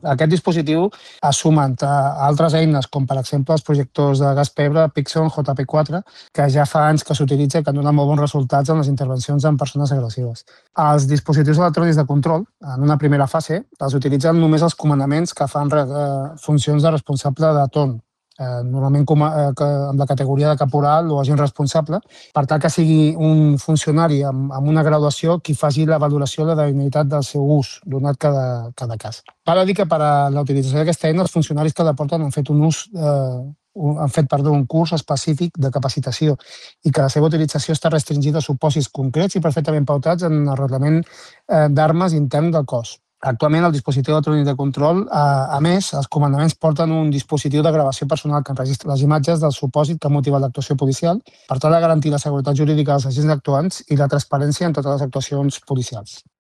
Aquest dispositiu ha sumat a altres eines, com per exemple els projectors de gas pebre Pixon JP4, que ja fa anys que s'utilitza i que donen molt bons resultats en les intervencions en persones agressives. Els dispositius electrònics de control, en una primera fase, els utilitzen només els comandaments que fan funcions de responsable de torn, normalment amb la categoria de caporal o agent responsable, per tal que sigui un funcionari amb una graduació qui faci la valoració de la idoneïtat del seu ús, donat cada cas. Val a dir que per a la utilització d'aquesta eina, els funcionaris que la porten han fet un curs específic de capacitació i que la seva utilització està restringida a supòsits concrets i perfectament pautats en el reglament d'armes intern del cos. Actualment, el dispositiu electrònic de control, a més, els comandaments porten un dispositiu de gravació personal que enregistra les imatges del supòsit que ha motivat l'actuació policial per tal de garantir la seguretat jurídica dels agents actuants i la transparència en totes les actuacions policials.